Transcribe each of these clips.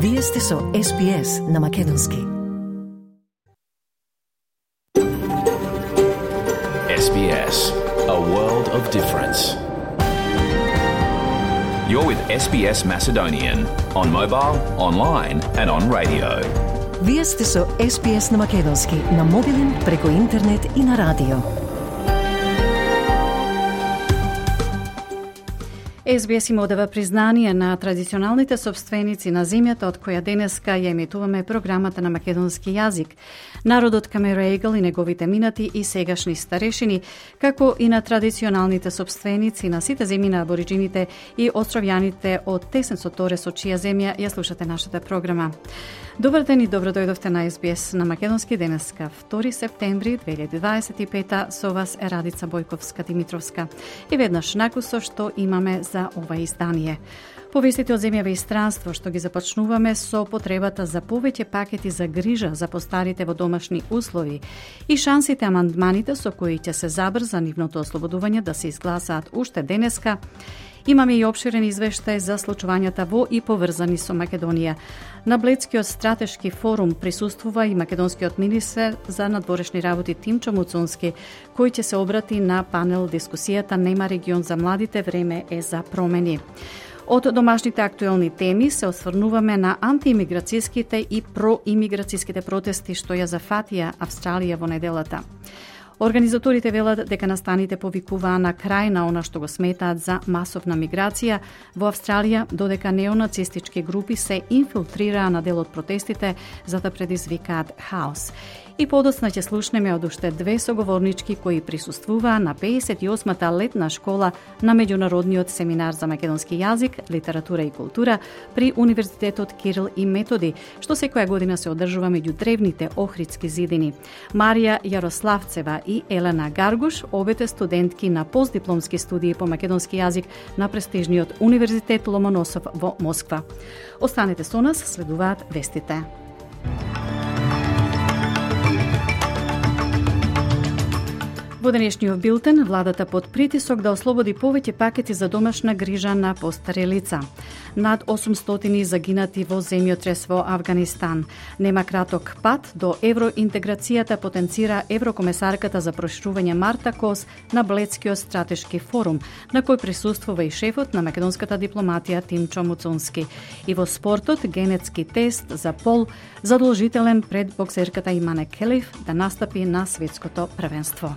Вие сте со SBS на Македонски. SBS, a world of difference. You're with SBS Macedonian on mobile, online and on radio. Вие сте со SBS на Македонски на мобилен, преку интернет и на радио. SBS им одава признание на традиционалните собственици на земјата од која денеска ја емитуваме програмата на македонски јазик, народот Камерејгл и неговите минати и сегашни старешини, како и на традиционалните собственици на сите земји на абориджините и островјаните од Тесен Торе со чија земја ја слушате нашата програма. Добар ден и добро дојдовте на SBS на Македонски денеска, 2 септември 2025, со вас е Радица Бојковска-Димитровска. И веднаш накусо што имаме за ова издание. Повестите од земјава и странство што ги започнуваме со потребата за повеќе пакети за грижа за постарите во домашни услови и шансите амандманите со кои ќе се забрза нивното ослободување да се изгласаат уште денеска. Имаме и обширен извештај за случувањата во и поврзани со Македонија. На Бледскиот стратешки форум присуствува и македонскиот министер за надворешни работи Тимчо Муцунски, кој ќе се обрати на панел дискусијата Нема регион за младите, време е за промени. Од домашните актуелни теми се осврнуваме на антиимиграцијските и проимиграцијските протести што ја зафатија Австралија во неделата. Организаторите велат дека настаните повикуваа на крај на она што го сметаат за масовна миграција во Австралија, додека неонацистички групи се инфилтрираа на дел од протестите за да предизвикаат хаос. И подоцна ќе слушнеме од уште две соговорнички кои присуствуваа на 58-та летна школа на меѓународниот семинар за македонски јазик, литература и култура при Универзитетот Кирил и Методи, што секоја година се одржува меѓу древните Охридски зидини. Марија Јарославцева и Елена Гаргуш, обете студентки на постдипломски студии по македонски јазик на престижниот Универзитет Ломоносов во Москва. Останете со нас, следуваат вестите. Во денешниот билтен, владата под притисок да ослободи повеќе пакети за домашна грижа на постари лица. Над 800 загинати во земјотрес во Авганистан. Нема краток пат до евроинтеграцијата, потенцира еврокомесарката за проширување Марта Кос на Бледскиот стратешки форум, на кој присуствува и шефот на македонската дипломатија Тимчо Муцунски. И во спортот, генетски тест за пол задолжителен пред боксерката Имане Келиф да настапи на светското првенство.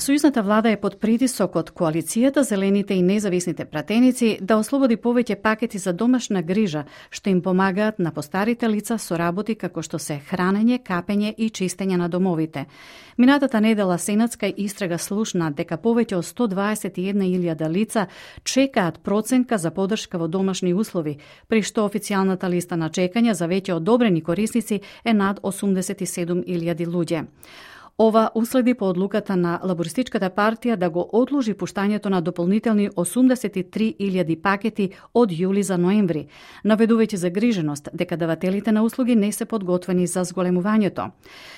Сојузната влада е под притисок од коалицијата, зелените и независните пратеници да ослободи повеќе пакети за домашна грижа, што им помагаат на постарите лица со работи како што се хранење, капење и чистење на домовите. Минатата недела сенатска истрага слушна дека повеќе од 121.000 лица чекаат проценка за подршка во домашни услови, при што официјалната листа на чекање за веќе одобрени корисници е над 87.000 луѓе. Ова уследи по одлуката на Лабористичката партија да го одложи пуштањето на дополнителни 83.000 пакети од јули за ноември, наведувајќи загриженост дека давателите на услуги не се подготвени за зголемувањето.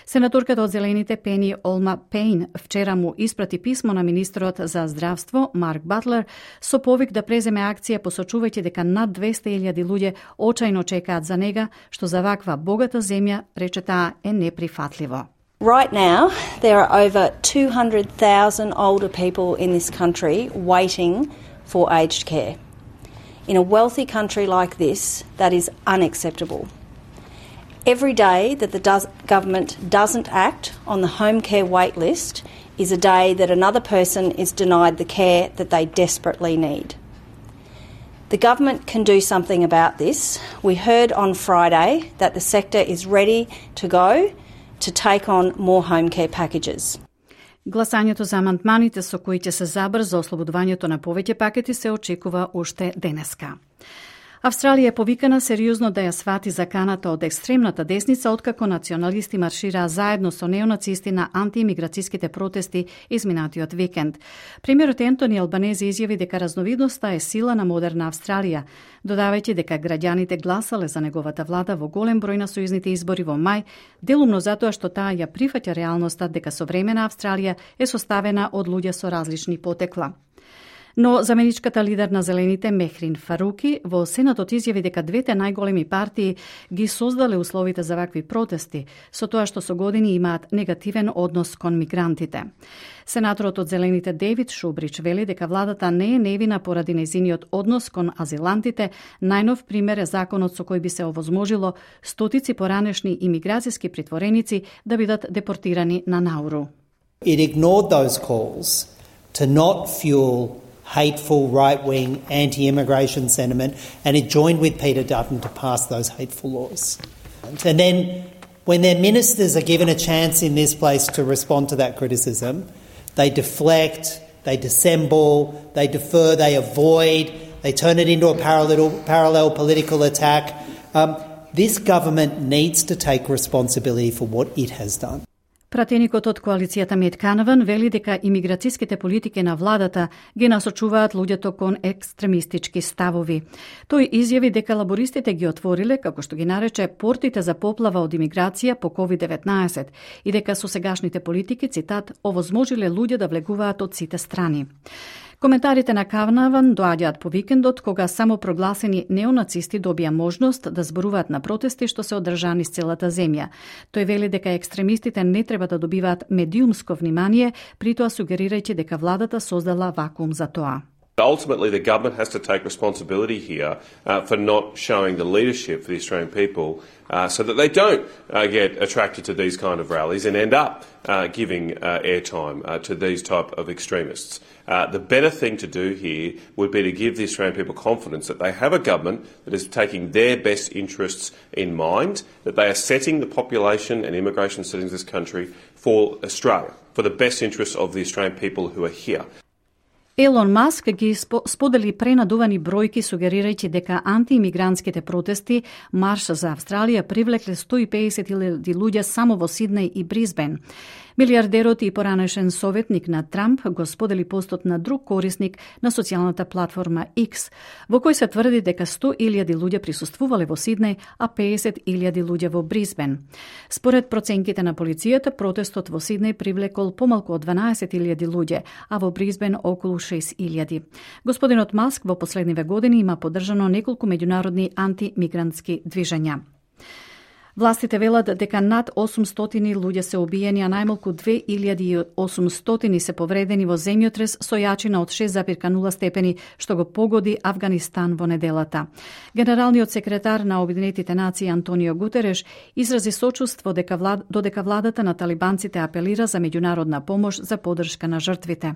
Сенаторката од Зелените Пени Олма Пейн вчера му испрати писмо на министрот за здравство Марк Батлер со повик да преземе акција, посочувајќи дека над 200.000 луѓе очајно чекаат за нега, што за ваква богата земја, рече таа, е неприфатливо. Right now, there are over 200,000 older people in this country waiting for aged care. In a wealthy country like this, that is unacceptable. Every day that the government doesn't act on the home care wait list is a day that another person is denied the care that they desperately need. The government can do something about this. We heard on Friday that the sector is ready to go to take on more home care packages. Гласањето за амандманите со кои ќе се забрза ослободувањето на повеќе пакети се очекува уште денеска. Австралија е повикана сериозно да ја свати заканата од екстремната десница, откако националисти маршираа заедно со неонацисти на антиимиграцијските протести изминатиот викенд. Премиерот Ентони Албанези изјави дека разновидноста е сила на модерна Австралија, додавајќи дека граѓаните гласале за неговата влада во голем број на сојузните избори во мај, делумно затоа што таа ја прифаќа реалноста дека современа Австралија е составена од луѓе со различни потекла. Но заменичката лидер на Зелените Мехрин Фаруки во Сенатот изјави дека двете најголеми партии ги создале условите за вакви протести, со тоа што со години имаат негативен однос кон мигрантите. Сенаторот од Зелените Дейвид Шубрич вели дека владата не е невина поради нејзиниот однос кон азилантите. Најнов пример е законот со кој би се овозможило стотици поранешни имиграцијски притвореници да бидат депортирани на Науру. It ignored those calls to not fuel hateful right-wing anti-immigration sentiment, and it joined with Peter Dutton to pass those hateful laws. And then when their ministers are given a chance in this place to respond to that criticism, they deflect, they dissemble, they defer, they avoid, they turn it into a parallel political attack. This government needs to take responsibility for what it has done. Пратеникот од коалицијата Мет Канаван вели дека имиграцијските политики на владата ги насочуваат луѓето кон екстремистички ставови. Тој изјави дека лабористите ги отвориле, како што ги нарече, портите за поплава од имиграција по COVID-19 и дека со сегашните политики, цитат, овозможиле луѓе да влегуваат од сите страни. Коментарите на Канаван доаѓаат по викендот, кога само прогласени неонацисти добија можност да зборуваат на протести што се одржани с целата земја. Тој вели дека екстремистите не треба да добиваат медиумско внимание, притоа сугерирајќи дека владата создала вакуум за тоа. Ultimately, the government has to take responsibility here for not showing the leadership for the Australian people so that they don't get attracted to these kind of rallies and end up giving airtime to these type of extremists. The better thing to do here would be to give the Australian people confidence that they have a government that is taking their best interests in mind, that they are setting the population and immigration settings of this country for Australia, for the best interests of the Australian people who are here. Елон Маск ги сподели пренадувани бројки, сугерирајќи дека антиимигрантските протести Марш за Австралија привлекле 150.000 луѓе само во Сиднеј и Брисбен. Милиардерот и поранешен советник на Трамп го сподели постот на друг корисник на социјалната платформа X, во кој се тврди дека 100.000 луѓе присуствувале во Сиднеј, а 50.000 луѓе во Брисбен. Според проценките на полицијата, протестот во Сиднеј привлекол помалку од 12.000 луѓе, а во Брисбен околу 6.000. Господинот Маск во последниве години има поддржано неколку меѓународни антимигрантски движења. Властите велат дека над 800 луѓе се убиени, а најмалку 2800 се повредени во земјотрес со јачина од 6,0 степени, што го погоди Авганистан во неделата. Генералниот секретар на Обединетите нации Антонио Гутереш изрази сочувство додека владата на талибанците апелира за меѓународна помош за поддршка на жртвите.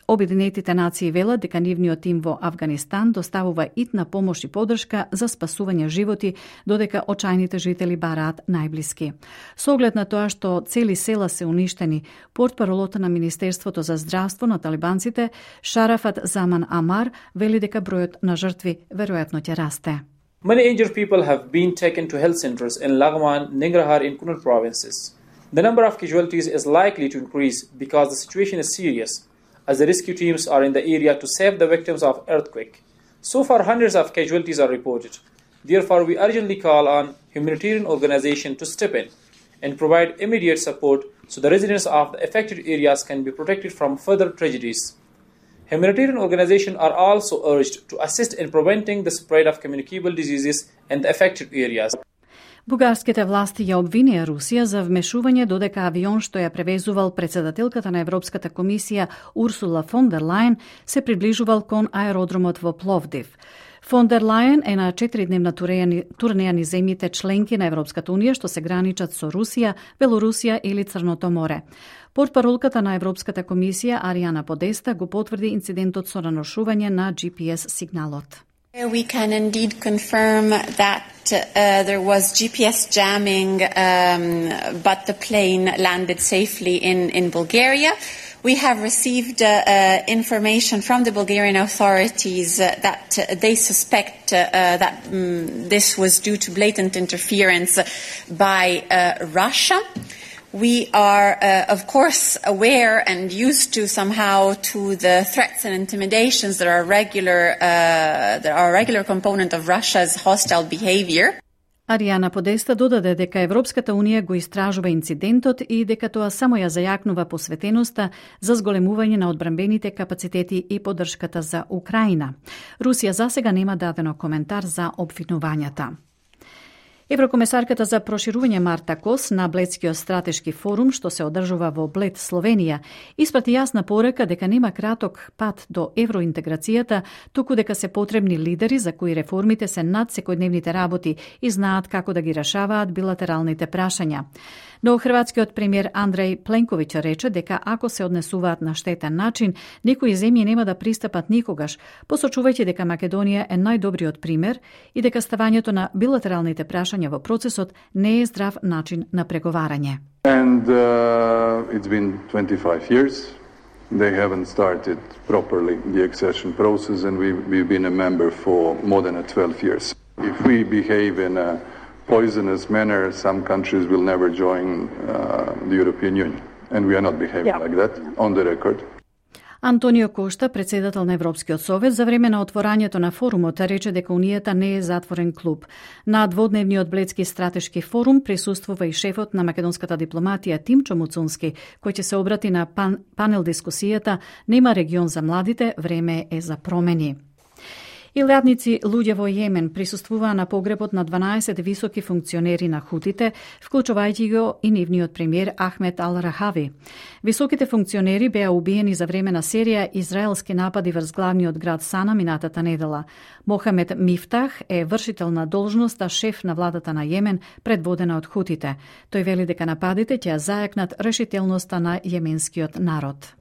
Обединетите нации велат дека нивниот тим во Авганистан доставува итна помош и поддршка за спасување животи, додека очајните жители бараат најблиски. Со оглед на тоа што цели села се уништени, портпаролот на Министерството за здравство на талибанците Шарафат Заман Амар вели дека бројот на жртви веројатно ќе расте. Many injured people have been taken to health centers in Laghman, Nangarhar and Kunar provinces. The number of casualties is likely to increase because the situation is serious, as the rescue teams are in the area to save the victims of earthquake. So far, hundreds of casualties are reported. Therefore, we urgently call on humanitarian organizations to step in and provide immediate support so the residents of the affected areas can be protected from further tragedies. Humanitarian organizations are also urged to assist in preventing the spread of communicable diseases in the affected areas. Бугарските власти ја обвинија Русија за вмешување додека авион што ја превезувал председателката на Европската комисија Урсула фон дер Лајен се приближувал кон аеродромот во Пловдив. Фон дер Лајен е на 4-дневна турнеја низ земјите членки на Европската унија што се граничат со Русија, Белорусија или Црното море. Портпаролката на Европската комисија Ариана Подеста го потврди инцидентот со наношување на GPS сигналот. We can indeed confirm that there was GPS jamming, but the plane landed safely in Bulgaria. We have received information from the Bulgarian authorities that they suspect that this was due to blatant interference by Russia. We are, of course, aware and used to somehow to the threats and intimidations that are a regular component of Russia's hostile behavior. Аријана Подеста додаде дека Европската Унија го истражува инцидентот и дека тоа само ја зајакнува посветеноста за зголемување на одбранбените капацитети и поддршката за Украина. Русија засега нема дадено коментар за обвинувањата. Еврокомесарката за проширување Марта Кос на Бледскиот стратешки форум, што се одржува во Блед, Словенија, испрати јасна порака дека нема краток пат до евроинтеграцијата, туку дека се потребни лидери за кои реформите се над секојдневните работи и знаат како да ги решаваат билатералните прашања. Но хрватскиот премиер Андреј Пленковиќ рече дека ако се однесуваат на штетен начин, некои земји нема да пристапат никогаш, посочувајќи дека Македонија е најдобриот пример и дека ставањето на билатералните прашања во процесот не е здрав начин на преговарање. And it's been 25 years. They haven't started properly the accession process and we've been a member for more than 12 years. If we behave in a poisonous manner, some countries will never join the European Union. And we are not behaving like that, on the record. Антонио Кошта, председател на Европскиот совет, за време на отворањето на форумот рече дека Унијата не е затворен клуб. На дводневниот Бледски стратешки форум присуствува и шефот на македонската дипломатија Тимчо Муцунски, кој ќе се обрати на панел дискусијата "Нема регион за младите, време е за промени". Илјадници луѓе во Јемен присуствуваа на погребот на 12 високи функционери на хутите, вклучувајќи го и нивниот премиер Ахмед Ал-Рахави. Високите функционери беа убиени за време на серија израелски напади врз главниот град Сана минатата недела. Мохамед Мифтах е вршител на должноста шеф на владата на Јемен, предводена од хутите. Тој вели дека нападите ќе зајакнат решителноста на јеменскиот народ.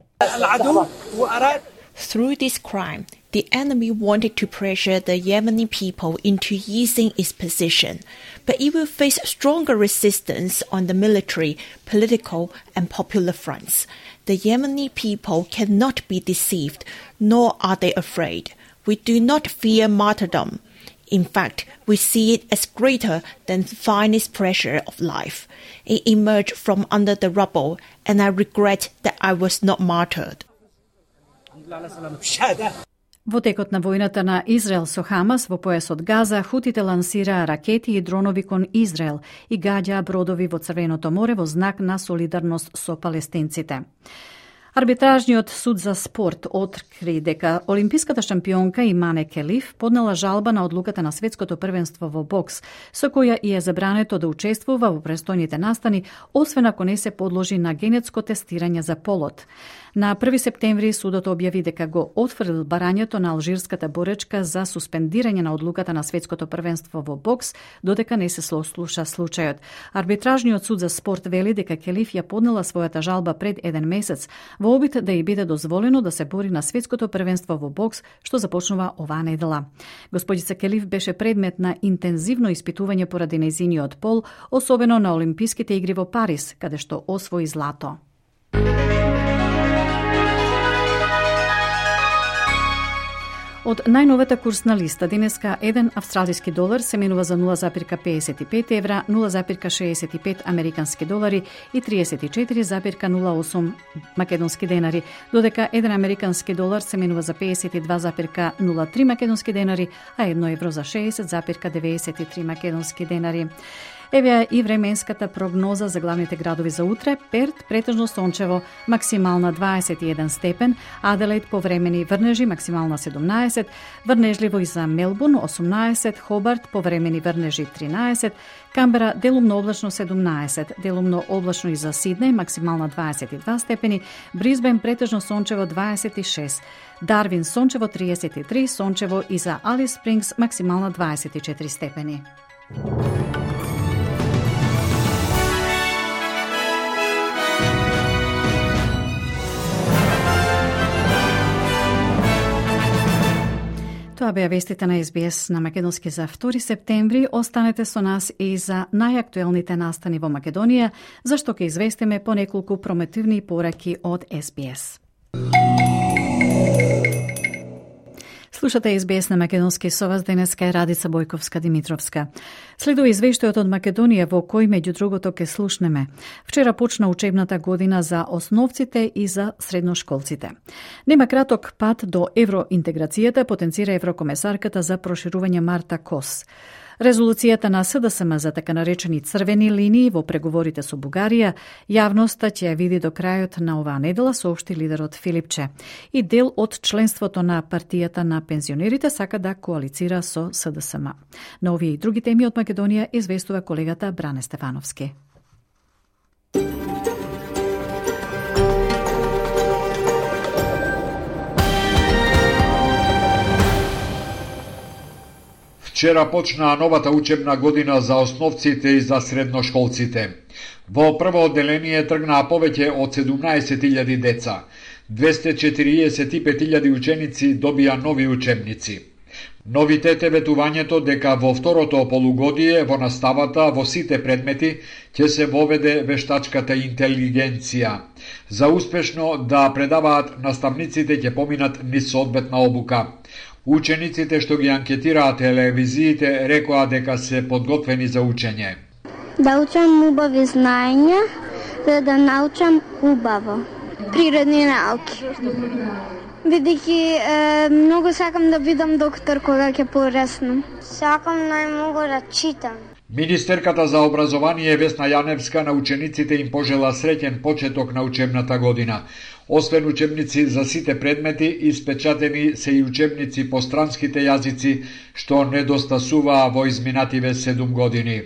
Through this crime, the enemy wanted to pressure the Yemeni people into easing its position, but it will face stronger resistance on the military, political, and popular fronts. The Yemeni people cannot be deceived, nor are they afraid. We do not fear martyrdom. In fact, we see it as greater than the finest pressure of life. It emerged from under the rubble, and I regret that I was not martyred. Во текот на војната на Израел со Хамас во појасот Газа, хутите лансираа ракети и дронови кон Израел и гаѓаа бродови во Црвеното море во знак на солидарност со палестинците. Арбитражниот суд за спорт откри дека олимписката шампионка Имане Келиф поднела жалба на одлуката на светското првенство во бокс, со која и е забрането да учествува во престојните настани, освен ако не се подложи на генетско тестирање за полот. На 1 септември судот објави дека го отфрлил барањето на алжирската боречка за суспендирање на одлуката на светското првенство во бокс, додека не се слуша случајот. Арбитражниот суд за спорт вели дека Келиф ја поднела својата жалба пред 1 месец во обид да ја биде дозволено да се бори на светското првенство во бокс, што започнува оваа недела. Господица Келиф беше предмет на интензивно испитување поради нејзиниот пол, особено на Олимписките игри во Париз, каде што освои злато. Од најновата курсна листа денеска 1 австралиски долар се менува за 0,55 евра, 0,65 американски долари и 34,08 македонски денари, додека 1 американски долар се менува за 52,03 македонски денари, а 1 евро за 60,93 македонски денари. Еве и временската прогноза за главните градови за утре. Перт претежно сончево, максимална 21 степен, Аделаид повремени врнежи, максимална 17, врнежливо и за Мелбурн 18, Хобарт повремени врнежи 13, Камбера делумно облачно 17, делумно облачно и за Сиднеј, максимална 22 степени, Брисбен претежно сончево 26, Дарвин сончево 33, сончево и за Алис Спрингс, максимална 24 степени. Тоа беа вестите на СБС на македонски за 2 септември. Останете со нас и за најактуелните настани во Македонија, зашто ќе известиме по неколку промотивни пораки од СБС. Слушате СБС на македонски со вас, денеска е Радица Бојковска-Димитровска. Следува извештајот од Македонија во кој меѓу другото ке слушнеме. Вчера почна учебната година за основците и за средношколците. Нема краток пат до евроинтеграцијата, потенцира еврокомесарката за проширување Марта Кос. Резолуцијата на СДСМ за така наречени црвени линии во преговорите со Бугарија, јавноста ќе ја види до крајот на оваа недела, соопшти лидерот Филипче. И дел од членството на партијата на пензионерите сака да коалицира со СДСМ. На овие и други теми од Македонија известува колегата Бране Стефановски. Вчера почна новата учебна година за основците и за средношколците. Во прво одделение тргнаа повеќе од 17.000 деца. 245.000 ученици добија нови учебници. Новитет е ветувањето дека во второто полугодие во наставата во сите предмети ќе се воведе вештачката интелигенција. За успешно да предаваат, наставниците ќе поминат низ соодветна обука. Учениците што ги анкетираа телевизиите рекоа дека се подготвени за учење. Да учам убави знаења, за да научам убаво. Природни науки. Бидејќи многу сакам да бидам доктор кога ќе пораснам. Сакам најмногу да читам. Министерката за образование Весна Јаневска на учениците им пожела среќен почеток на учебната година. Освен учебници за сите предмети, испечатени се и учебници по странските јазици, што недостасуваа во изминативе 7 години.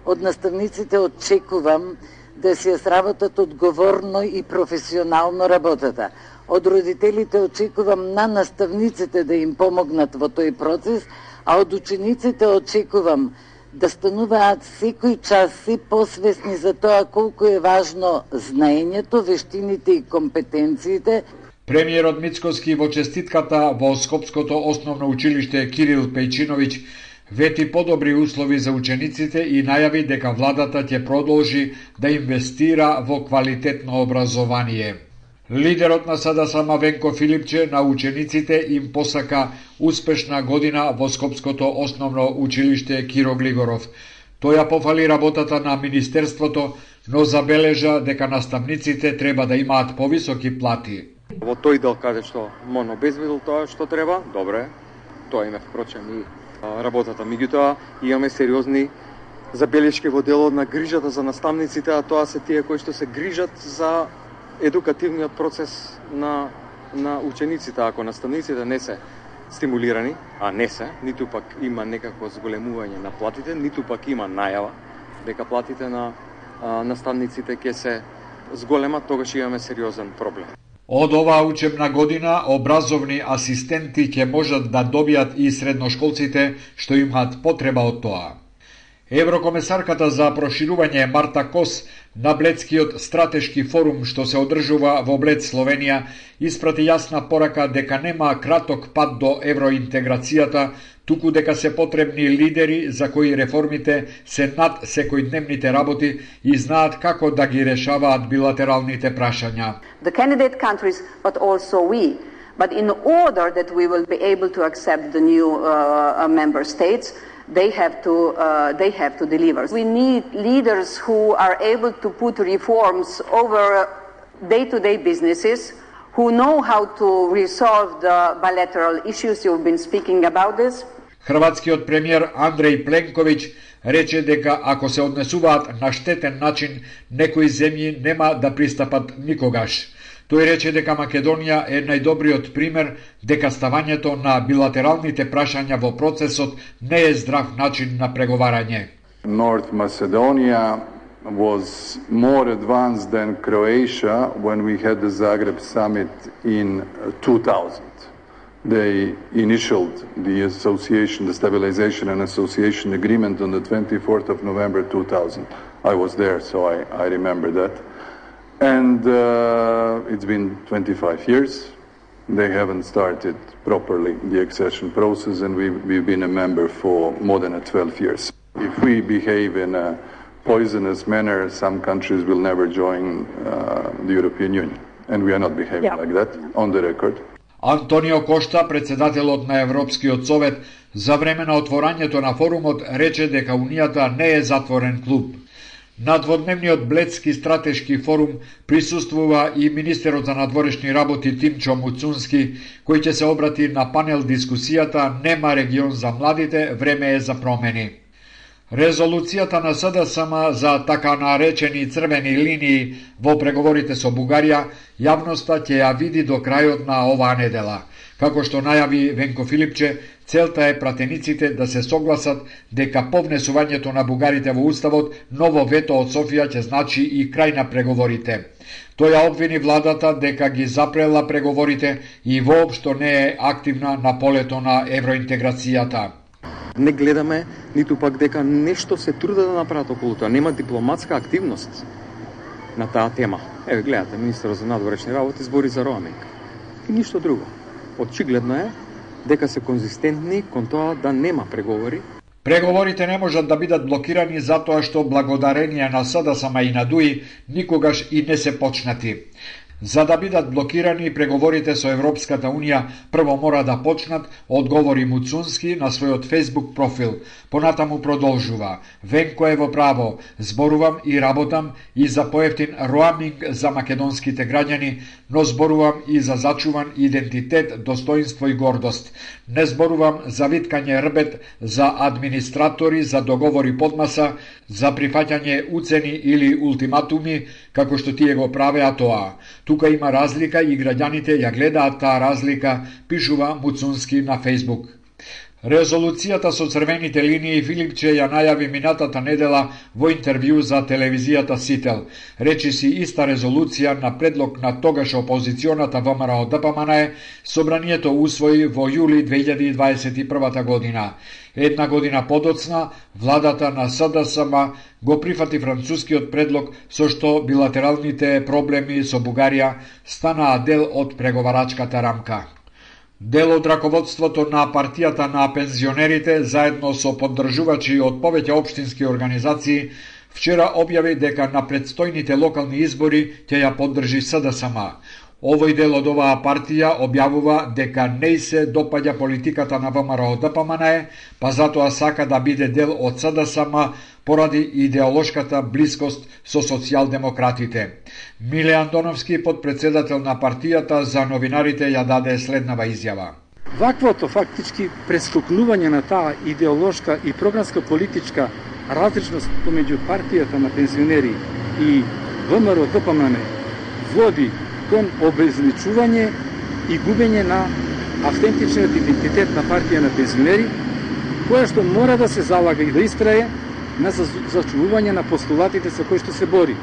Од наставниците очекувам да се сработат одговорно и професионално работата. Од родителите очекувам на наставниците да им помогнат во тој процес, а од учениците очекувам да стануваат секој час се посвесни за тоа колку е важно знаењето, вештините и компетенциите. Премиерот Мицкоски во честитката во Скопското основно училиште Кирил Пејчиновиќ вети подобри услови за учениците и најави дека владата ќе продолжи да инвестира во квалитетно образование. Лидерот на СДСМ Венко Филипче на учениците им посака успешна година во Скопското основно училиште Киро Глигоров. Тој ја пофали работата на Министерството, но забележа дека наставниците треба да имаат повисоки плати. Во тој дел каде што МОН обезбедил тоа што треба, добре, тоа име впрочем и работата. Меѓутоа, имаме сериозни забелешки во делот на грижата за наставниците, а тоа се тие кои што се грижат за едукативниот процес на учениците. Ако наставниците не се стимулирани, а не се, ниту пак има некако зголемување на платите, ниту пак има најава дека платите на наставниците ќе се зголемат, тогаш имаме сериозен проблем. Од оваа учебна година образовни асистенти ќе можат да добијат и средношколците што имаат потреба од тоа. Еврокомесарката за проширување Марта Кос на Бледскиот стратешки форум што се одржува во Блед, Словенија, испрати јасна порака дека нема краток пат до евроинтеграцијата, туку дека се потребни лидери за кои реформите се над секојдневните работи и знаат како да ги решаваат билатералните прашања. The candidate countries, but also we. But in order that we will be able to accept the new member states, they have to deliver. We need leaders who are able to put reforms over day-to-day businesses, who know how to resolve the bilateral issues. You've been speaking about this. Хрватскиот премиер Андреј Пленковиќ рече дека ако се однесуваат на штетен начин, некои земји нема да пристапат никогаш. Тој рече дека Македонија е најдобриот пример дека ставањето на билатералните прашања во процесот не е здрав начин на преговарање. North Macedonia was more advanced than Croatia when we had the Zagreb summit in 2000. They initialed the association, the stabilization and association agreement on the 24th of November 2000. I was there, so I remember that. And it's been 25 years. They haven't started properly the accession process, and we've been a member for more than 12 years. If we behave in a poisonous manner, some countries will never join the European Union. And we are not behaving like that, on the record. Антонио Кошта, председателот на Европскиот совет, за време на отворањето на форумот рече дека Унијата не е затворен клуб. На дводневниот Бледски стратешки форум присуствува и министерот за надворешни работи Тимчо Муцунски, кој ќе се обрати на панел дискусијата "Нема регион за младите, време е за промени". Резолуцијата на СДСМ за така наречени црвени линии во преговорите со Бугарија јавноста ќе ја види до крајот на оваа недела. Како што најави Венко Филипче, целта е пратениците да се согласат дека по внесувањето на бугарите во уставот ново вето од Софија ќе значи и крај на преговорите. Тој ја обвини владата дека ги запрела преговорите и воопшто не е активна на полето на евроинтеграцијата. Не гледаме ниту пак дека нешто се труда да направат околу тоа. Нема дипломатска активност на таа тема. Еве гледате, министерот за надворешни работи збори за роаминг. И ништо друго. Очигледно е дека се конзистентни кон тоа да нема преговори. Преговорите не можат да бидат блокирани затоа што благодарение на СДСМ и на ДУИ никогаш и не се почнати. За да бидат блокирани преговорите со Европската Унија, прво мора да почнат, одговори Муцунски на својот Facebook профил. Понатаму продолжува: Венко е во право, зборувам и работам и за поевтин роаминг за македонските граѓани, но зборувам и за зачуван идентитет, достоинство и гордост. Не зборувам за виткање рбет, за администратори, за договори подмаса, за прифаќање уцени или ултиматуми, како што тие го правеа тоа. Тука има разлика и граѓаните ја гледаат таа разлика, пишува Муцунски на Facebook. Резолуцијата со црвените линии Филипче ја најави минатата недела во интервју за телевизијата Сител. Речи си иста резолуција на предлог на тогаш опозиционата ВМРО ДПМН собранието усвои во јули 2021 година. Една година подоцна, владата на СДСМ го прифати францускиот предлог со што билатералните проблеми со Бугарија станаа дел од преговарачката рамка. Дел од раководството на партијата на пензионерите, заедно со поддржувачи од повеќе општински организации, вчера објави дека на предстојните локални избори ќе ја поддржи СДСМ. Овој дел од оваа партија објавува дека не се допаѓа политиката на ВМРО ДПМН, па затоа сака да биде дел од СДСМ поради идеолошката блискост со социјалдемократите. Миле Антоновски, подпредседател на партијата, за новинарите ја даде следнава изјава. Ваквото фактички престукнување на таа идеолошка и програмска политичка различност помеѓу партијата на пензионери и ВМРО ДПМН води кон обезличување и губење на автентичниот идентитет на партија на пензионери, која што мора да се залага и да истрае на зачувување на постулатите со кои што се бори.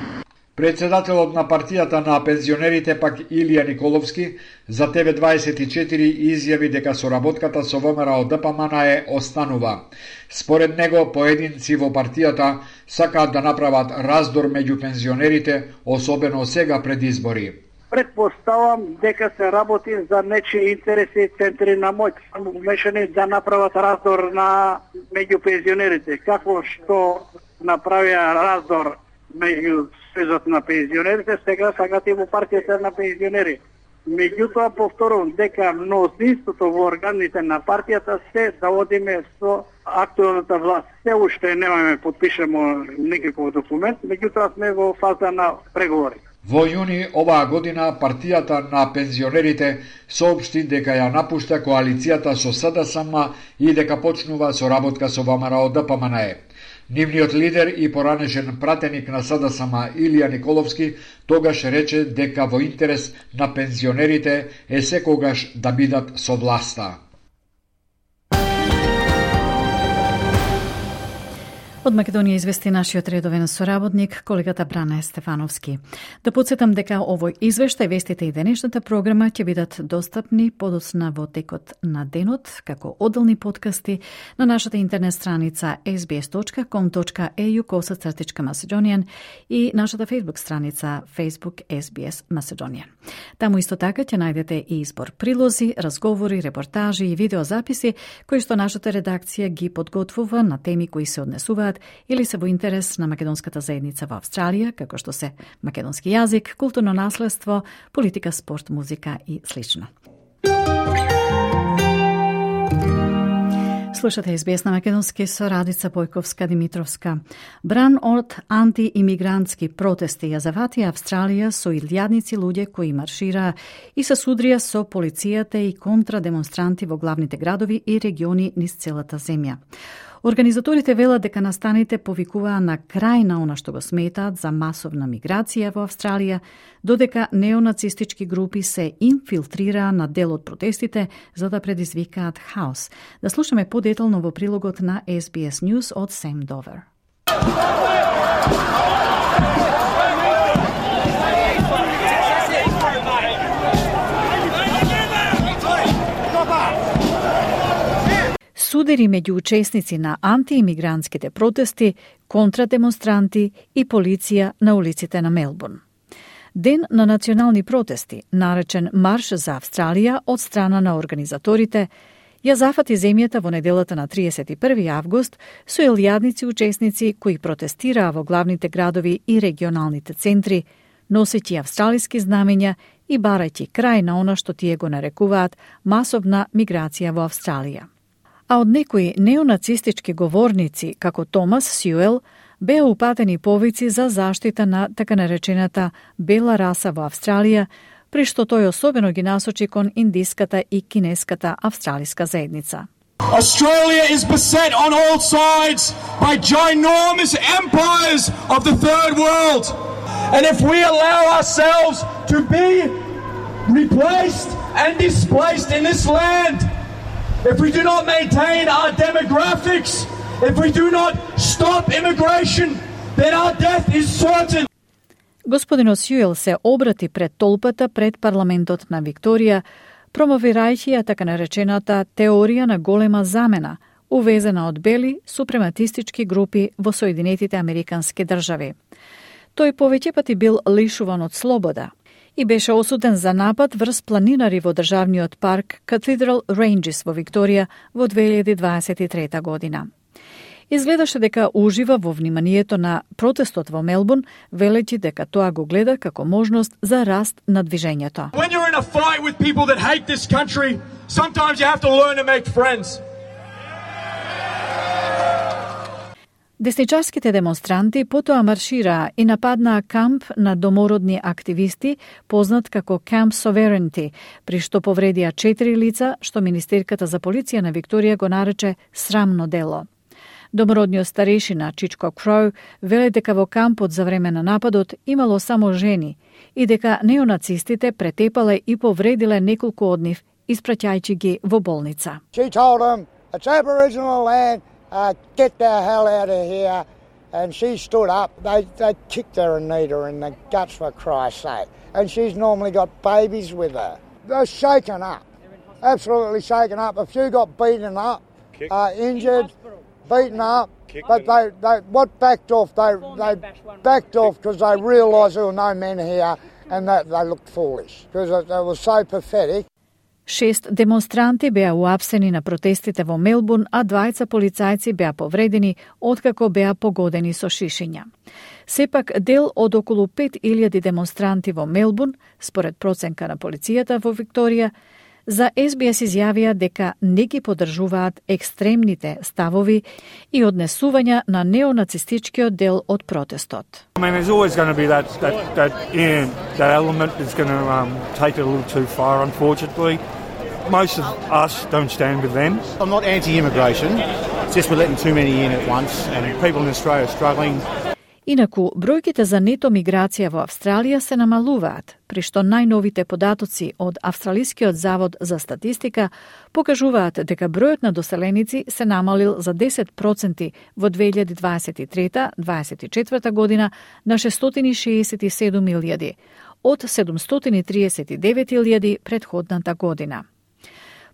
Председателот на партијата на пензионерите пак Илија Николовски за ТВ24 изјави дека соработката со ВМРО ДПМН останува. Според него, поединци во партијата сакаат да направат раздор меѓу пензионерите, особено сега пред избори. Предпоставам дека се работи за нечии интереси и центри на моќ, умешани да направат раздор меѓу пензионерите. Како што направија раздор меѓу Сојузот на пензионерите, сега сакат и во партијата на пензионери. Меѓутоа, повторувам дека мнозинството во органите на партијата се да одиме со актуелната власт. Се уште немаме подпишемо никаков документ, меѓутоа сме во фаза на преговори. Во јуни оваа година партијата на пензионерите соопшти дека ја напушта коалицијата со СДСМ и дека почнува соработка со ВМРО ДПМН. Нивниот лидер и поранешен пратеник на СДСМ Илија Николовски тогаш рече дека во интерес на пензионерите е секогаш да бидат со власта. Од Македонија извести нашиот редовен соработник, колегата Бране Стефановски. Да подсетам дека овој извештај, вестите и денешната програма ќе бидат достапни подоцна во текот на денот, како одделни подкасти на нашата интернет страница sbs.com.au/Macedonian и нашата Facebook страница Facebook SBS Macedonian. Таму исто така ќе најдете и избор прилози, разговори, репортажи и видеозаписи кои што нашата редакција ги подготвува на теми кои се однесуваат или се во интерес на македонската заедница во Австралија, како што се македонски јазик, културно наследство, политика, спорт, музика и слично. Слушате SBS на македонски со Радица Бојковска-Димитровска. Бран од антиимигрантски протести ја заватија Австралија со илјадници луѓе кои маршираа и се судрија со полицијата и контра демонстранти во главните градови и региони низ целата земја. Организаторите велат дека настаните повикуваа на крај на она што го сметаат за масовна миграција во Австралија, додека неонацистички групи се инфилтрираа на дел од протестите за да предизвикаат хаос. Да слушаме подетално во прилогот на SBS News од Сем Довер. Судери меѓу учесници на антиимигрантските протести, контрадемонстранти и полиција на улиците на Мелбурн. Ден на национални протести, наречен Марш за Австралија од страна на организаторите, ја зафати земјата во неделата на 31 август со илјадници учесници кои протестираа во главните градови и регионалните центри, носејќи австралиски знамења и барајќи крај на она што тие го нарекуваат масовна миграција во Австралија. А од некои неонацистички говорници, како Томас Сјуел, беа упатени повици за заштита на така наречената бела раса во Австралија, при што тој особено ги насочи кон индиската и кинеската австралиска заедница. Australia is beset on all sides by ginormous empires of the third world. And if we allow ourselves to be replaced and displaced in this land, if we do not maintain our demographics, if we do not stop immigration, then our death is certain. Господинот Сјуел се обрати пред толпата пред парламентот на Викторија, промовирајќи ја така наречената теорија на голема замена, увезена од бели супрематистички групи во Соединетите Американски држави. Тој повеќе пати бил лишуван од слобода и беше осуден за напад врз планинари во државниот парк Cathedral Ranges во Викторија во 2023 година. Изгледаше дека ужива во вниманието на протестот во Мелбурн, велејќи дека тоа го гледа како можност за раст на движењето. When you're in a fight with people that hate this country, sometimes you have to learn to make friends. Десничарските демонстранти потоа маршираа и нападнаа камп на домородни активисти, познат како Camp Sovereignty, при што повредија 4 лица, што Министерката за полиција на Викторија го нарече срамно дело. Домородниот старешина Чичко Кроу веле дека во кампот за време на нападот имало само жени и дека неонацистите претепале и повредиле неколку од нив, испраќајќи ги во болница. She told them, it's Aboriginal land, get the hell out of here. And she stood up. They kicked her and kneed her in the guts, for Christ's sake. And she's normally got babies with her. They're shaken up, absolutely shaken up. A few got beaten up, injured, beaten up. But they what backed off? They backed off because they realised there were no men here, and that they looked foolish because it was so pathetic. 6 демонстранти беа уапсени на протестите во Мелбурн, а 2 полицајци беа повредени откако беа погодени со шишиња. Сепак, дел од околу 5000 демонстранти во Мелбурн, според проценка на полицијата во Викторија, за SBS изјавија дека не ги поддржуваат екстремните ставови и однесувања на неонацистичкиот дел од протестот. I mean, there's always going to be that element is going to take it a little too far, unfortunately. Most of us don't stand with them. I'm not anti-immigration, it's just we're letting too many in at once and people in Australia are struggling. Инаку, бројките за нето миграција во Австралија се намалуваат, при што најновите податоци од Австралискиот завод за статистика покажуваат дека бројот на доселеници се намалил за 10% во 2023-2024 година на 667.000, од 739.000 предходната година.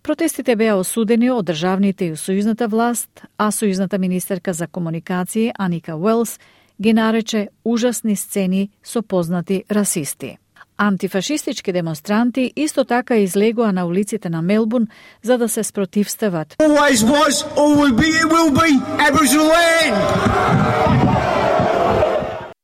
Протестите беа осудени од државните и сојузната власт, а сојузната министерка за комуникации Аника Уелс ги нарече ужасни сцени со познати расисти. Антифашистички демонстранти исто така излегоа на улиците на Мелбурн за да се спротивстават. Always was, always will be Aboriginal land.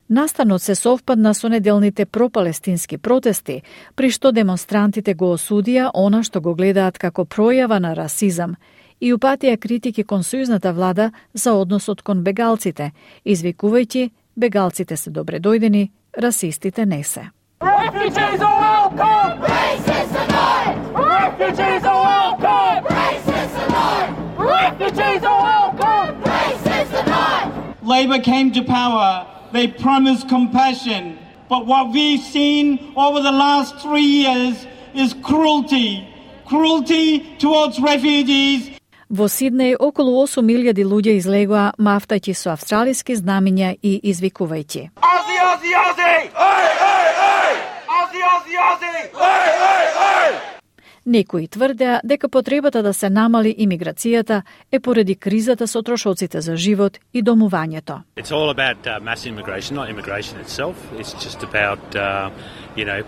Настанот се совпадна со неделните пропалестински протести, при што демонстрантите го осудија она што го гледаат како пројава на расизам и упатија критики кон сојузната влада за односот кон бегалците, извикувајќи бегалците се добре дојдени, расистите не се. Refugees are welcome! Racists are not! Refugees are welcome! Racists are not! Refugees are welcome! Labor came to power, they promised compassion. But what we've seen over the last 3 years is cruelty. Cruelty towards refugees. Во Сиднеј околу 8.000 луѓе излегоа мафтајќи со австралиски знамиња и извикувајќи. Aussie, Aussie, Aussie! Oi, oi, oi! Aussie, Aussie, Aussie! Oi, oi, oi! Некои тврдеа дека потребата да се намали имиграцијата е поради кризата со трошоците за живот и домувањето. It's all about mass immigration, not immigration itself. It's just about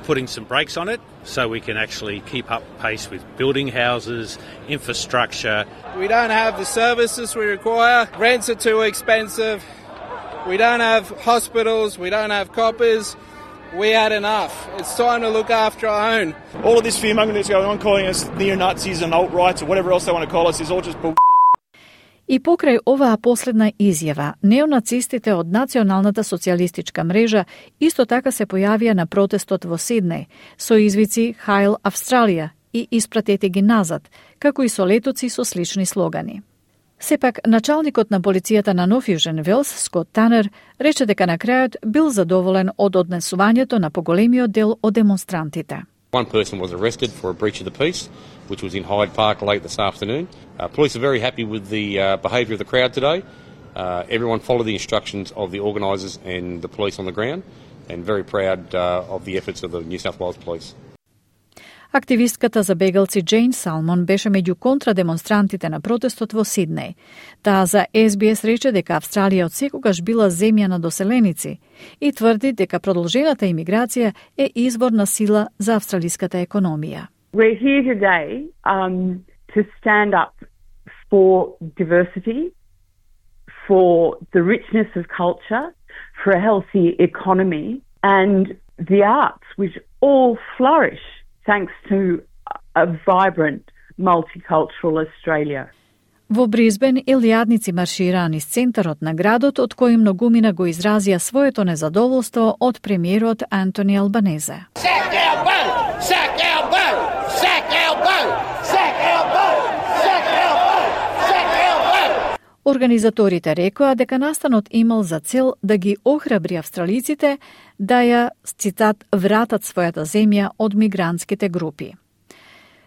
putting some brakes on it so we can actually keep up pace with building houses, infrastructure. We don't have the services we require. Rents are too expensive. We don't have hospitals. We don't have coppers. We had enough. It's time to look after our own. All of this fear-mongering that's going on, calling us neo-Nazis and alt-rights or whatever else they want to call us, is all just bullshit. И покрај оваа последна изјава, неонацистите од Националната социјалистичка мрежа исто така се појавија на протестот во Сиднеј со извици Хайл Австралија и испратете ги назад, како и со летоци со слични слогани. Сепак, началникот на полицијата на Нов Јужен Велс, Скот Танер, рече дека на крајот бил задоволен од однесувањето на поголемиот дел од демонстрантите. One person was arrested for a breach of the peace, which was in Hyde Park late this afternoon. Police are very happy with the behaviour of the crowd today. Everyone followed the instructions of the organisers and the police on the ground, and very proud of the efforts of the New South Wales Police. Активистката за бегалци Джейн Салмон беше меѓу контрадемонстрантите на протестот во Сиднеј. Таа за SBS рече дека Австралија отсекогаш била земја на доселеници и тврди дека продолжената имиграција е извор на сила за австралиската економија. We're here today to stand up for diversity, for the richness of culture, for a healthy economy and the arts which all flourish thanks to a vibrant multicultural Australia. Во Бризбен илјадници маршираа низ центарот на градот, од кој многумина го изразија своето незадоволство од премиерот Антони Албанезе. Организаторите рекоа дека настанот имал за цел да ги охрабри австралиците да ја, цитат, вратат својата земја од мигрантските групи.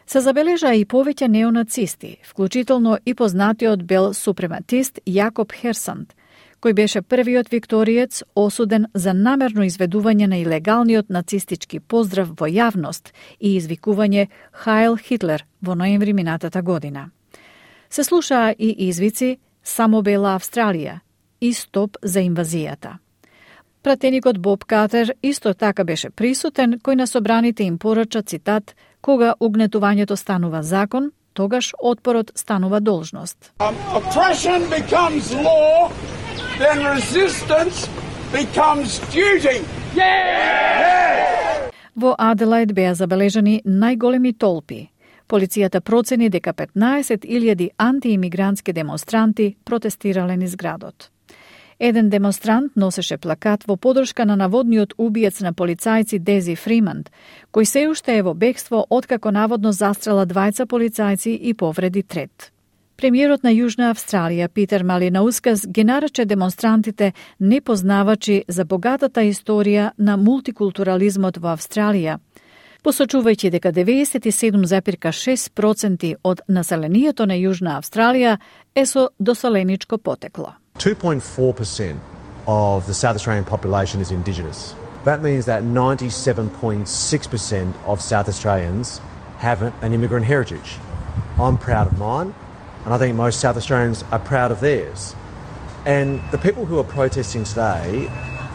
Се забележаа и повеќе неонацисти, вклучително и познатиот бел супрематист Јакоб Херсанд, кој беше првиот викториец осуден за намерно изведување на илегалниот нацистички поздрав во јавност и извикување Хайл Хитлер во ноември минатата година. Се слушаа и извици "Само бела Австралија" и "Стоп за инвазијата". Пратеникот Боб Катер исто така беше присутен, кој на собраните им порача, цитат, "Кога угнетувањето станува закон, тогаш отпорот станува должност". Oppression becomes law, then resistance becomes duty. Во Аделаид беа забележани најголеми толпи. Полицијата процени дека 15.000 антиимигрантски демонстранти протестирале низ градот. Еден демонстрант носеше плакат во подршка на наводниот убиец на полицајци Дези Фриманд, кој се уште е во бегство откако наводно застрела двајца полицајци и повреди трет. Премиерот на Јужна Австралија Питер Малинаускас ги нарече демонстрантите непознавачи за богатата историја на мултикултурализмот во Австралија, посочувајќи дека 97,6% од населението на Јужна Австралија е со доселеничко потекло. 2.4% of the South Australian population is Indigenous. That means that 97.6% of South Australians have an immigrant heritage. I'm proud of mine, and I think most South Australians are proud of theirs. And the people who are protesting today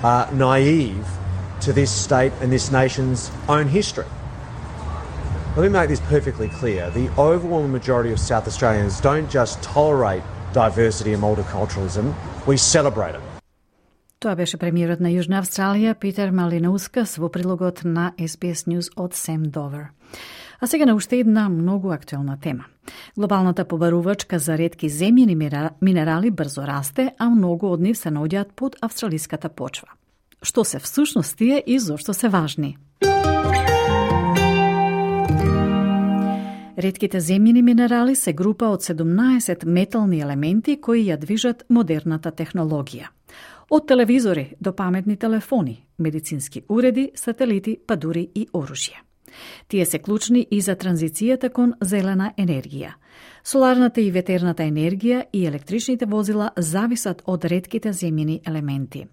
are naive to this state and this nation's own history. Let me make this perfectly clear. The overwhelming majority of South Australians don't just tolerate diversity and multiculturalism, we celebrate it. Тоа беше премиерот на Јужна Австралија Питер Малинаускас во прилогот на SBS News од Сем Довер. А сега на уште една многу актуелна тема. Глобалната побарувачка за ретки земјени минерали брзо расте, а многу од нив се наоѓаат под австралиската почва. Што се всушност тие и зошто се важни? Ретките земјени минерали се група од 17 метални елементи кои ја движат модерната технологија. Од телевизори до паметни телефони, медицински уреди, сателити, па дури и оружје. Тие се клучни и за транзицијата кон зелена енергија. Соларната и ветерната енергија и електричните возила зависат од ретките земјени елементи.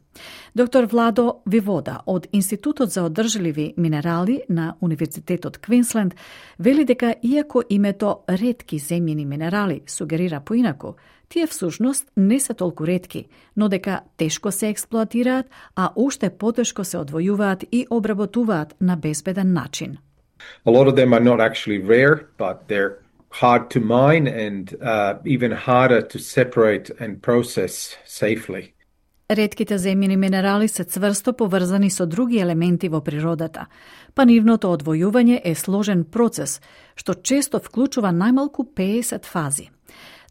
Доктор Владо Вивода од Институтот за одржливи минерали на Универзитетот Квинсленд вели дека иако името ретки земјени минерали сугерира поинаку, тие всушност не се толку ретки, но дека тешко се експлоатираат, а уште потешко се одвојуваат и обработуваат на безбеден начин. A lot of them are not actually rare, but they're hard to mine and even harder to separate and process safely. Ретките земјени минерали се цврсто поврзани со други елементи во природата, па нивното одвојување е сложен процес, што често вклучува најмалку 50 фази.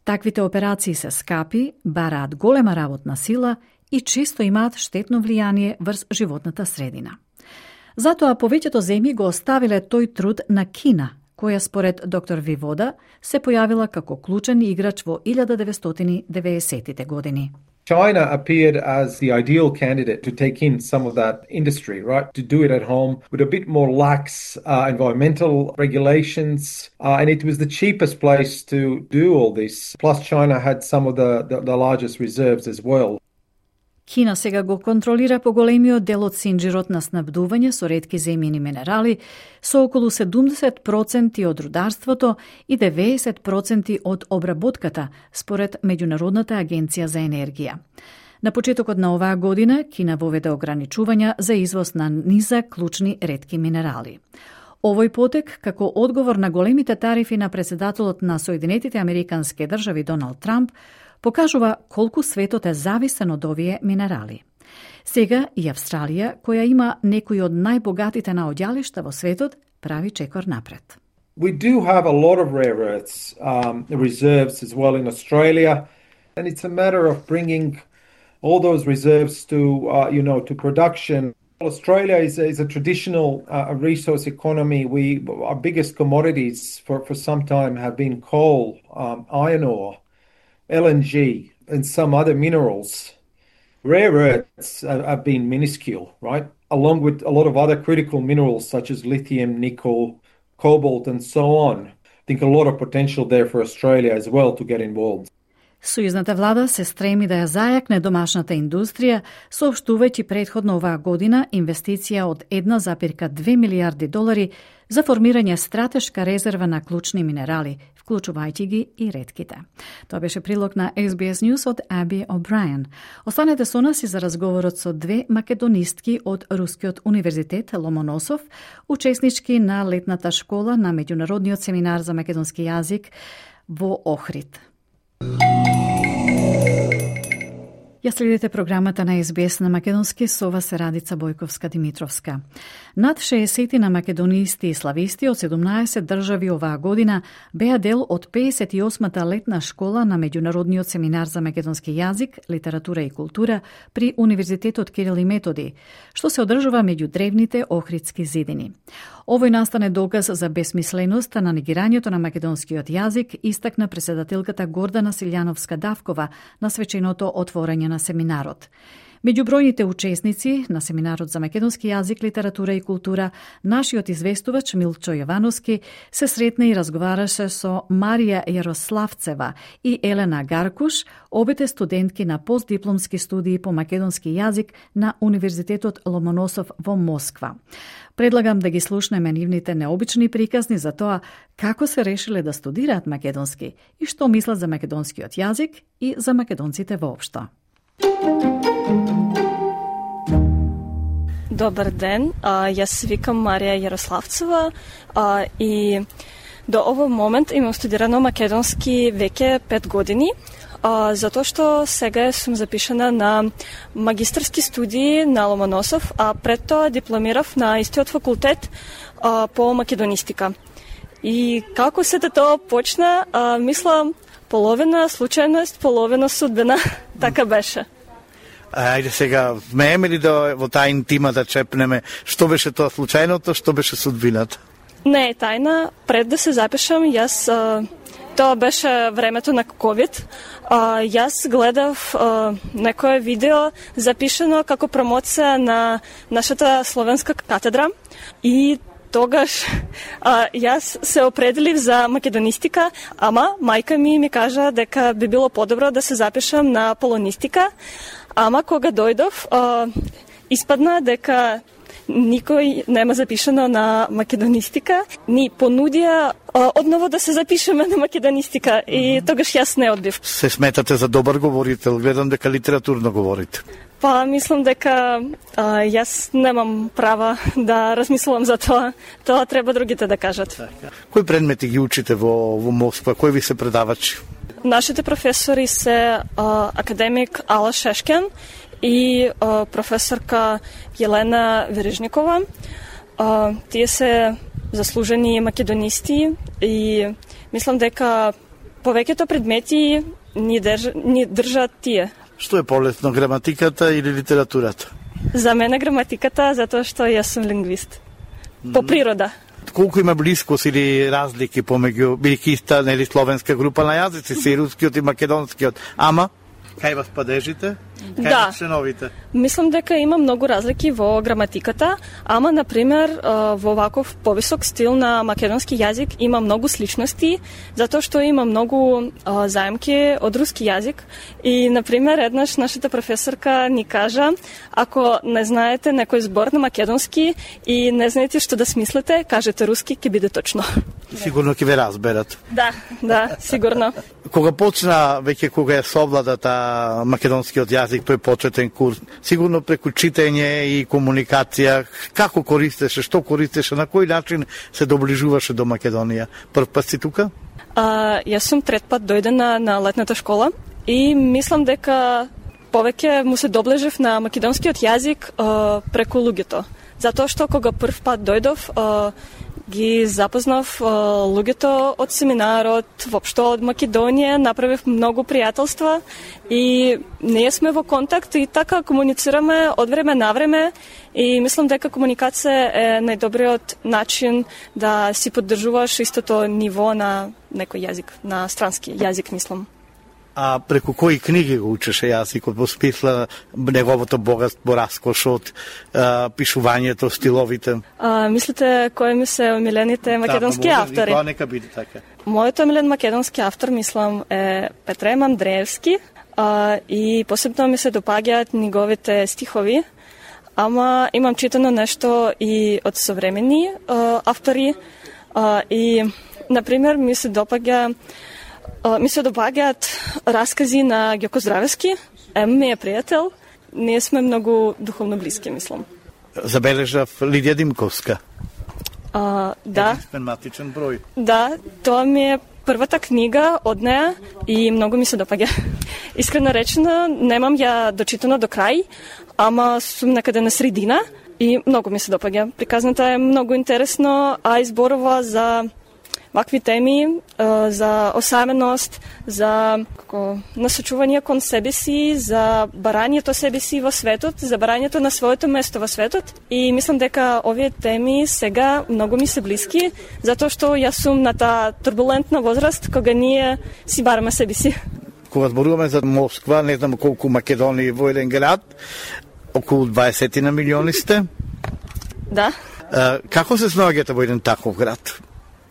Таквите операции се скапи, бараат голема работна сила и често имаат штетно влијание врз животната средина. Затоа повеќето земји го оставиле тој труд на Кина, која според доктор Вивода се појавила како клучен играч во 1990-тите години. China appeared as the ideal candidate to take in some of that industry, right? To do it at home with a bit more lax environmental regulations. And it was the cheapest place to do all this. Plus China had some of the largest reserves as well. Кина сега го контролира поголемиот дел од синџирот на снабдување со ретки земјени минерали, со околу 70% од рударството и 90% од обработката, според Меѓународната агенција за енергија. На почетокот на оваа година, Кина воведе ограничувања за извоз на низак клучни ретки минерали. Овој потек, како одговор на големите тарифи на председателот на Соединетите Американски држави Доналд Трамп, покажува колку светот е зависен од овие минерали. Сега и Австралија, која има некои од најбогатите наоѓалишта во светот, прави чекор напред. We do have a lot of rare earths reserves as well in Australia, and it's a matter of bringing all those reserves to production. Australia is a traditional resource economy. Our biggest commodities for some time have been coal, iron ore, LNG, and some other minerals. Rare earths have been minuscule, right? Along with a lot of other critical minerals such as lithium, nickel, cobalt, and so on. I think a lot of potential there for Australia as well to get involved. Сојузната влада се стреми да ја зајакне домашната индустрија, соопштувајќи претходно оваа година инвестиција од 1,2 милијарди долари за формирање стратешка резерва на клучни минерали, вклучувајќи ги и ретките. Тоа беше прилог на SBS News од Аби О'Брајан. Останете со нас и за разговорот со две македонистки од Рускиот универзитет Ломоносов, учеснички на летната школа на Меѓународниот семинар за македонски јазик во Охрид. Ја следите програмата на SBS на македонски, со вас е Радица Бојковска-Димитровска. Над 60 на македонисти и слависти од 17 држави оваа година беа дел од 58-та летна школа на Меѓународниот семинар за македонски јазик, литература и култура при Универзитетот Кирил и Методи, што се одржува меѓу древните охридски зидини. Овој настане доказ за бесмисленоста на негирањето на македонскиот јазик, истакна председателката Гордана Силјановска-Давкова на свеченото отворање на семинарот. Меѓу бројните учесници на семинарот за македонски јазик, литература и култура, нашиот известувач Милчо Јовановски се сретна и разговараше со Марија Јарославцева и Елена Гаркуш, обете студентки на постдипломски студии по македонски јазик на Универзитетот Ломоносов во Москва. Предлагам да ги слушнеме нивните необични приказни за тоа како се решиле да студираат македонски и што мислат за македонскиот јазик и за македонците воопшто. Добар ден, јас се викам Марија Јарославцева и до овој момент имам студирано македонски веќе 5 години, затоа што сега сум запишана на магистарски студии на Ломоносов, а пред тоа дипломирав на истиот факултет по македонистика. И како сето тоа почна, мислам, половина случајност, половина судбина, така беше. Ајде сега, вмееме ли да во тајна тима да чепнеме што беше тоа случајното, што беше судбината? Не е тајна. Пред да се запишам, јас Тоа беше времето на COVID. Јас гледав некое видео запишано како промоција на нашата словенска катедра и тогаш јас се определив за македонистика, ама мајка ми кажа дека би било подобро да се запишам на полонистика, ама кога дојдов испадна дека никој нема запишано на македонистика. Ни понудија одново да се запишеме на македонистика и тогаш јас не одбив. Се сметате за добар говорител, гледам дека литературно говорите. Па, мислам дека јас немам права да размислувам за тоа. Тоа треба другите да кажат. Кои предмети ги учите во Москва? Кои ви се предавачи? Нашите професори се академик Ала Шешкен и професорка Елена Вережникова. Тие се заслужени македонисти и мислам дека повеќето предмети ни држат тие. Што е полесно, граматиката или литературата? За мене граматиката, затоа што јас сум лингвист. По природа. Колку има близкост или разлики помеѓу бидејќи иста нели словенска група на јазици, и рускиот и македонскиот, ама кај вас падежите? Да. Членовите? Мислам дека има многу разлики во граматиката, ама, например, во ваков повисок стил на македонски јазик има многу сличности, затоа што има многу заемки од руски јазик. И, например, еднаш нашата професорка ни кажа, ако не знаете некој збор на македонски и не знаете што да смислите, кажете руски, ќе биде точно. Сигурно ќе ве разберат. Да, сигурно. Кога почна, веќе кога е совладата македонскиот јазик, тој почетен курс, сигурно преку читање и комуникација, како користеше, што користеше, на кој начин се доближуваше до Македонија? Прв пат си тука? Јас сум трет пат дојдена на летната школа и мислам дека повеќе му се доближив на македонскиот јазик преку луѓето. Затоа што кога прв пат дојдов, ги запознав луѓето од семинарот, воопшто од Македонија, направив многу пријателства и ние сме во контакт и така комуницираме од време на време и мислам дека комуникација е најдобриот начин да си поддржуваш истото ниво на некој јазик, на странски јазик, мислам. А преку кои книги го учеше јазикот во смисла неговото богатство, раскошот, пишувањето, стиловите? Мислите кои ми се омилените македонски автори? Да, нека биде така. Мојот омилен македонски автор, мислам, е Петрем Андреевски и посебно ми се допаѓаат неговите стихови, ама имам читано нешто и од современи автори и, например, ми се допаѓаат раскази на Ѓоко Здравевски. Ми е пријател. Ние сме многу духовно блиски, мислам. Забележав Лидија Димковска. Да. Единствен број. Да, тоа ми е првата книга од неа и многу ми се допаѓа. Искрено речено, немам ја дочитано до крај, ама сум некаде на средина и многу ми се допаѓа. Приказната е многу интересно, а изборува за вакви теми, за осаменост, за насочување кон себе си, за барањето себе си во светот, за барањето на своето место во светот. И мислам дека овие теми сега многу ми се блиски, затоа што јас сум на таа турбулентна возраст кога ние си бараме себе си. Кога зборуваме за Москва, не знам колку Македонија во еден град, околу 20 на милиони сте. Да. Како се снаоѓате во еден таков град?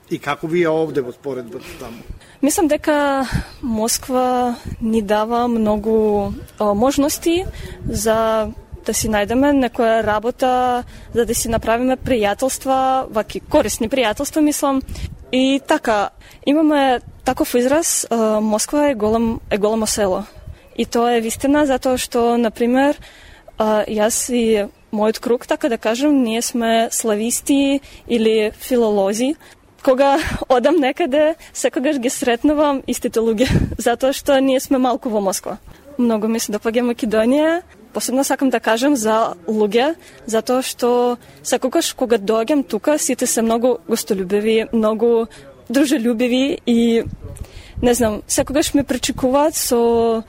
И како ви е овде во споредба таму? Мислам дека Москва ни дава многу можности за да си најдеме некоја работа, за да си направиме пријателства, ваки корисни пријателства, мислам. И така, имаме таков израз, Москва е големо село. И тоа е вистина, затоа што, например, јас и мојот круг, така да кажем, ние сме слависти или филолози. Кога одам некаде, секогаш ги сретнувам истите луѓе, затоа што ние сме малку во Москва. Многу ми се допаѓа Македонија, посебно сакам да кажам за луѓе, затоа што секогаш кога доаѓам тука, сите се многу гостолюбиви, многу дружелюбиви и не знам, секогаш ме пречекуваат со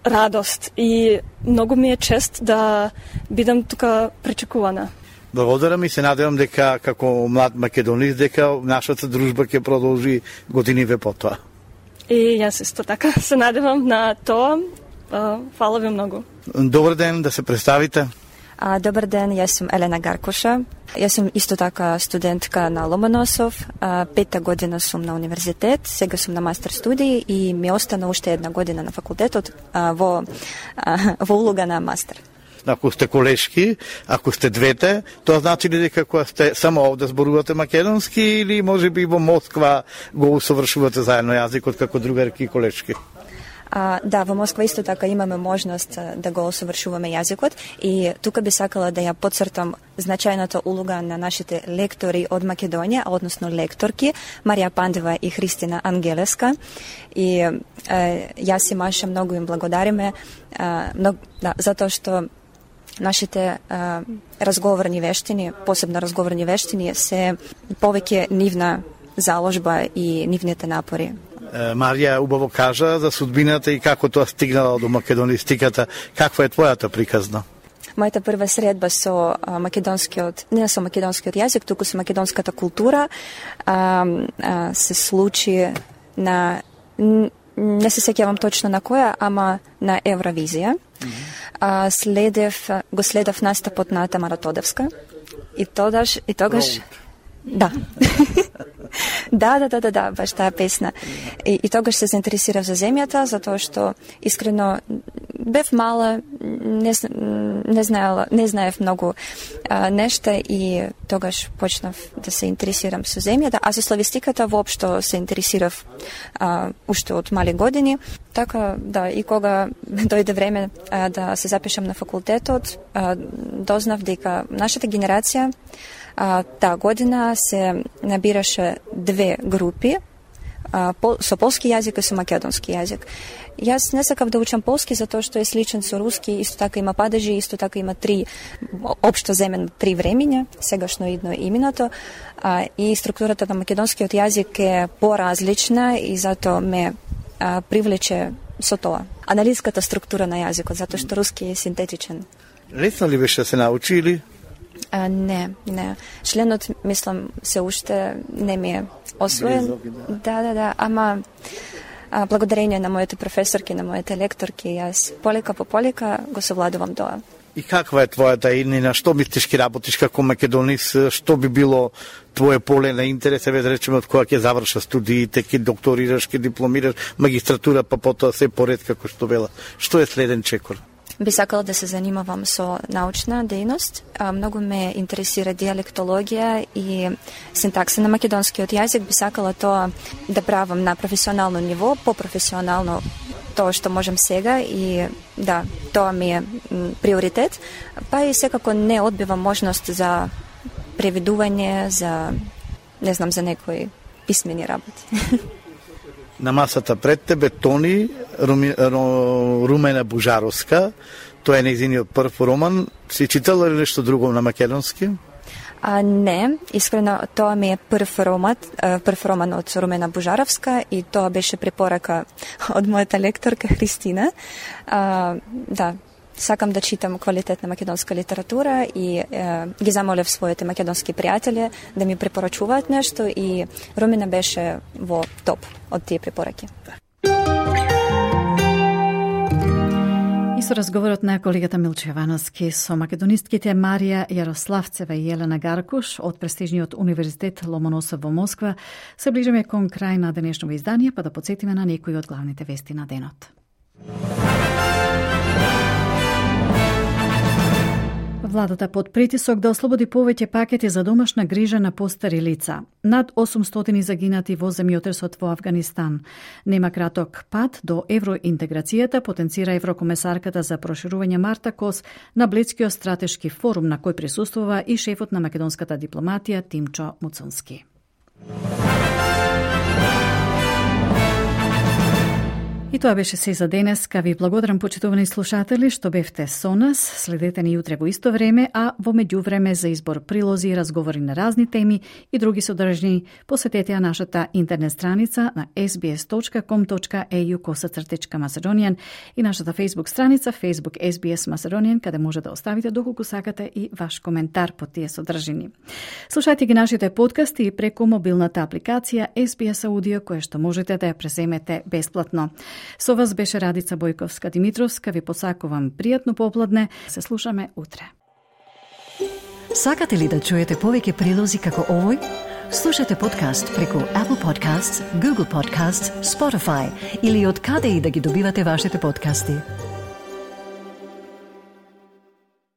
радост и многу ми е чест да бидам тука пречекувана. Благодарам и се надевам дека како млад македонист дека нашата дружба ќе продолжи годиниве потоа. И јас исто така се надевам на тоа. Фала ви многу. Добар ден, да се представите. Добар ден, јас сум Елена Гаркуша. Јас сум исто така студентка на Ломоносов. 5-та година сум на универзитет, сега сум на мастер студии и ми остана уште една година на факултетот во улога на мастер. Ако сте колешки, ако сте двете, тоа значи ли дека кога сте само овде зборувате македонски или може би во Москва го усовршувате заедно јазикот како другарки и колешки? Да, во Москва исто така имаме можност да го усовршуваме јазикот и тука би сакала да ја потцртам значајната улога на нашите лектори од Македонија, односно лекторки Марија Пандева и Христина Ангелеска. И јас и Маша многу им благодариме затоа што нашите разговорни вештини, посебно разговорни вештини, се повеќе нивна заложба и нивните напори. Марија убаво кажа за судбината и како тоа стигнала до македонистиката. Каква е твојата приказна? Мојата прва средба со македонскиот, не со македонскиот јазик, туку со македонската култура, се случи на, не се сеќавам точно на која, ама на Евровизија. Го следев настапот на Тамара Тодевска и тогаш да. Да, баш таа песна. И тогаш се заинтересирав за земјата, затоа што искрено бев мала, не знаев многу нешта и тогаш почнав да се интересирам со земјата, а со славистиката воопшто се интересирав уште од мали години. Така, да, и кога дојде време да се запишам на факултетот, дознав дека нашата генерација таа година се набираше две групи, со полски јазик и со македонски јазик. Јас не сакав да учам полски затоа што е сличен со руски, исто така има падежи, исто така има општо земен 3 времиња, сегашно, идно и минато, и структурата на македонскиот јазик е поразлична и затоа ме привлече со тоа. Аналитската структура на јазикот, затоа што руски е синтетичен. Лесно ли беше да се научи или? Не. Членот, мислам, се уште не ми е освоен. Да, ама благодарение на моите професорки, на моите лекторки, јас полека по полека го совладувам тоа. И каква е твојата иднина? Што мислиш ки работиш како македонист? Што би било твое поле на интерес? Еве да речеме од кога ќе завршиш студиите, ќе докторираш, ќе дипломираш, магистратура, па потоа се поред како што вела. Што е следен чекор? Би сакала да се занимавам со научна дејност. Многу ме интересира диалектологија и синтакса на македонскиот јазик. Би сакала тоа да правам на професионално ниво, попрофесионално тоа што можам сега и да, тоа ми е приоритет. Па и секако не одбивам можност за преведување, за за некои писмени работи. На масата пред тебе Тони, Румена Бужаровска, тоа е нејзиниот прв роман. Си читала ли нешто друго на македонски? Не, искрено тоа ми е прв роман од Румена Бужаровска и тоа беше препорака од мојата лекторка Христина. Да, сакам да читам квалитетна македонска литература и ги замолев своите македонски пријатели да ми препорачуваат нешто и Румена беше во топ од тие препораки. И со разговорот на колегата Милчо Јовановски со македонистките Марија Јарославцева и Елена Гаркуш од престижниот универзитет Ломоносов во Москва се ближиме кон крај на денешното издание, па да потсетиме на некои од главните вести на денот. Владата под притисок да ослободи повеќе пакети за домашна грижа на постари лица. Над 800 загинати во земјотресот во Авганистан. Нема краток пат до евроинтеграцијата, потенцира еврокомесарката за проширување Марта Кос на Блицкиот стратешки форум на кој присуствува и шефот на македонската дипломатија Тимчо Муцунски. И тоа беше се за денеска. Ви благодарам, почитувани слушатели, што бевте со нас. Следете ни утре во исто време, а во меѓувреме за избор прилози и разговори на разни теми и други содржини, посетете ја нашата интернет страница на sbs.com.au/Macedonian и нашата Facebook страница Facebook SBS Macedonian, каде може да оставите доколку сакате и ваш коментар по тие содржини. Слушајте ги нашите подкасти и преку мобилната апликација SBS Audio, која што можете да ја преземете бесплатно. Со вас беше Радица Бојковска-Димитровска. Ви посакувам пријатно попладне. Се слушаме утре. Сакате ли да чуете повеќе прилози како овој? Слушате подкаст преку Apple Podcasts, Google Podcasts, Spotify или од каде и да ги добивате вашите подкасти.